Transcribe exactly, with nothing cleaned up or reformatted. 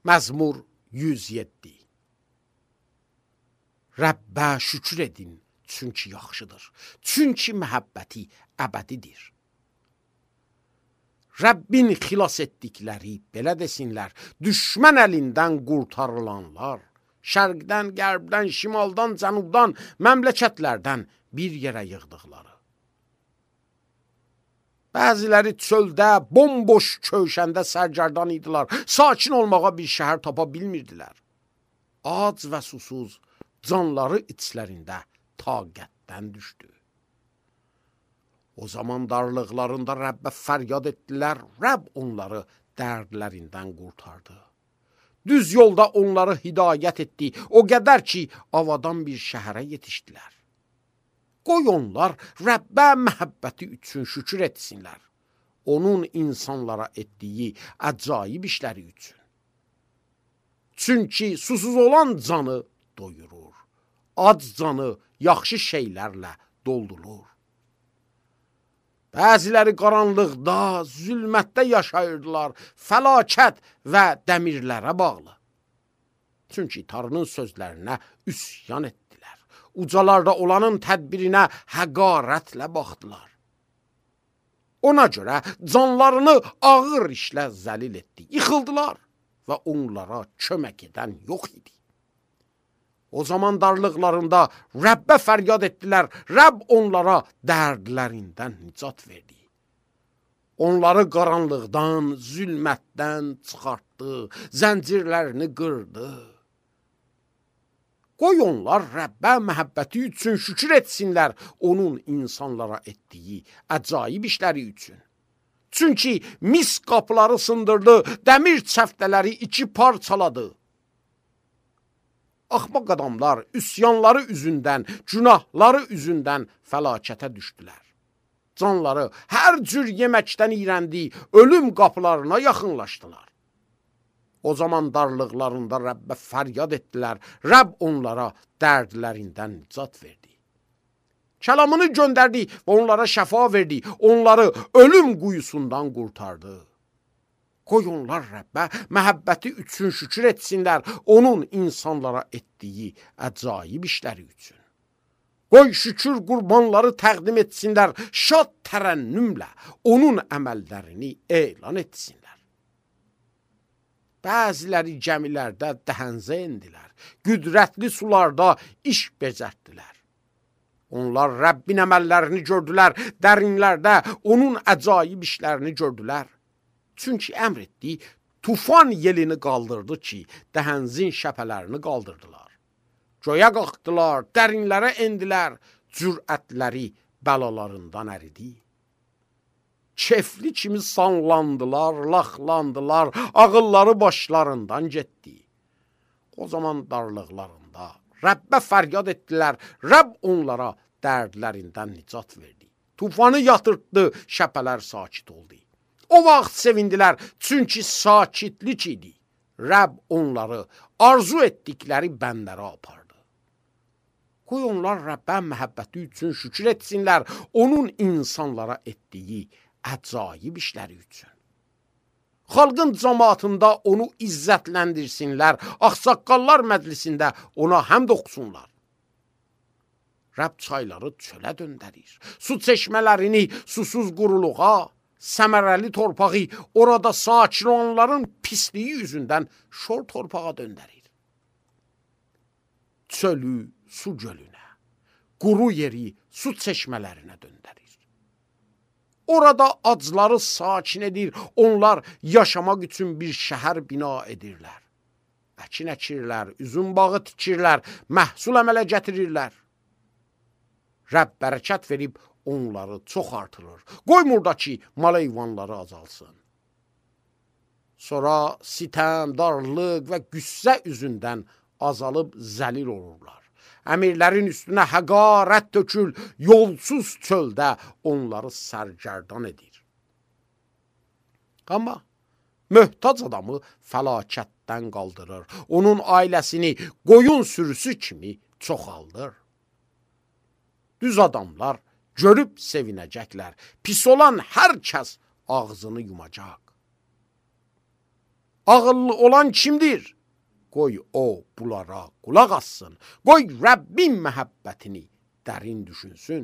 Məzmur yüz yeddi. Rəbbə şükür edin, çünki yaxşıdır. Çünki məhəbbəti əbədidir. Rəbbin xilas etdikləri, belə desinlər, düşmən əlindən qurtarılanlar, şərqdən, qərbdən, şimaldan, cənubdan, məmləkətlərdən bir yerə yığdıqları. Bəziləri çöldə, bomboş köşəndə sərgərdan idilər, sakin olmağa bir şəhər tapa bilmirdilər. Ac və susuz, canları içlərində taqətdən düşdü. O zaman darlıqlarında Rəbbə fəryad etdilər, Rəbb onları dərdlərindən qurtardı. Düz yolda onları hidayət etdi, o qədər ki, avadan bir şəhərə yetişdilər. Qoy onlar Rəbbə məhəbbəti üçün şükür etsinlər, onun insanlara etdiyi əcaib işləri üçün. Çünki susuz olan canı doyurur, ac canı yaxşı şeylərlə doldurur. Bəziləri qaranlıqda, zülmətdə yaşayırdılar, fəlakət və dəmirlərə bağlı. Çünki Tanrının sözlərinə üsyan etdilər. Ucalarda olanın tədbirinə həqarətlə baxdılar. Ona görə canlarını ağır işlə zəlil etdi, yıxıldılar və onlara kömək edən yox idi. O zaman darlıqlarında Rəbbə fəryad etdilər, Rəbb onlara dərdlərindən nicat verdi. Onları qaranlıqdan, zülmətdən çıxartdı, zəncirlərini qırdı. Qoy onlar Rəbbə məhəbbəti üçün şükür etsinlər, onun insanlara etdiyi əcaib işləri üçün. Çünki mis qapıları sındırdı, dəmir çəftələri iki parçaladı. Axmaq adamlar üsyanları üzündən, günahları üzündən fəlakətə düşdülər. Canları hər cür yeməkdən iyrəndi, ölüm qapılarına yaxınlaşdılar. O zaman darlıqlarında Rəbbə fəryad etdilər, Rəbb onlara dərdlərindən nicat verdi. Kəlamını göndərdi və onlara şəfa verdi, onları ölüm quyusundan qurtardı. Qoy onlar Rəbbə məhəbbəti üçün şükür etsinlər, onun insanlara etdiyi əcaib işləri üçün. Qoy şükür qurbanları təqdim etsinlər, şad tərənnümlə onun əməllərini elan etsinlər. Bəziləri gəmilərdə dəhənzə endilər, qüdrətli sularda iş becərtdilər. Onlar Rəbbin əməllərini gördülər, dərinlərdə onun əcaib işlərini gördülər. Çünki əmr etdi, tufan yelini qaldırdı ki, dəhənzin şəpələrini qaldırdılar. Göyə qalxdılar, dərinlərə endilər, cürətləri bəlalarından əridi. Kefli kimi sanlandılar, laxlandılar, ağılları başlarından getdi. O zaman darlıqlarında Rəbbə fəryad etdilər, Rəbb onlara dərdlərindən nicat verdi. Tufanı yatırtdı, şəpələr sakit oldu. O vaxt sevindilər, çünki sakitlik idi. Rəbb onları arzu etdikləri bəndlərə apardı. Qoy onlar Rəbbə məhəbbəti üçün şükür etsinlər, onun insanlara etdiyi əcaib işləri üçün. Xalqın cəmaatında onu izzətləndirsinlər, ağsaqqallar məclisində ona həmd oxusunlar. Rəbb çayları çölə döndərir, su çeşmələrini susuz quruluğa, səmərəli torpağı orada sakin olanların pisliyi üzündən şor torpağa döndərir. Çölü su gölünə, quru yeri su çeşmələrinə döndərir. Orada acları sakin edir, onlar yaşamaq üçün bir şəhər bina edirlər. Əkin əkirlər, üzüm bağı tikirlər, məhsul əmələ gətirirlər. Rəbb bərəkət verib onları çox artırır. Qoymur ki, mal heyvanları azalsın. Sonra sitəm, darlıq və qüssə üzündən azalıb zəlil olurlar. Əmirlərin üstünə həqarət tökül, yolsuz çöldə onları sərgərdan edir. Amma möhtac adamı fəlakətdən qaldırır, onun ailəsini qoyun sürüsü kimi çoxaldır. Düz adamlar görüb sevinəcəklər, pis olan hər kəs ağzını yumacaq. ağıllı olan kimdir? Qoy o bunlara qulaq assın. Qoy Rəbbin məhəbbətini dərin düşünsün.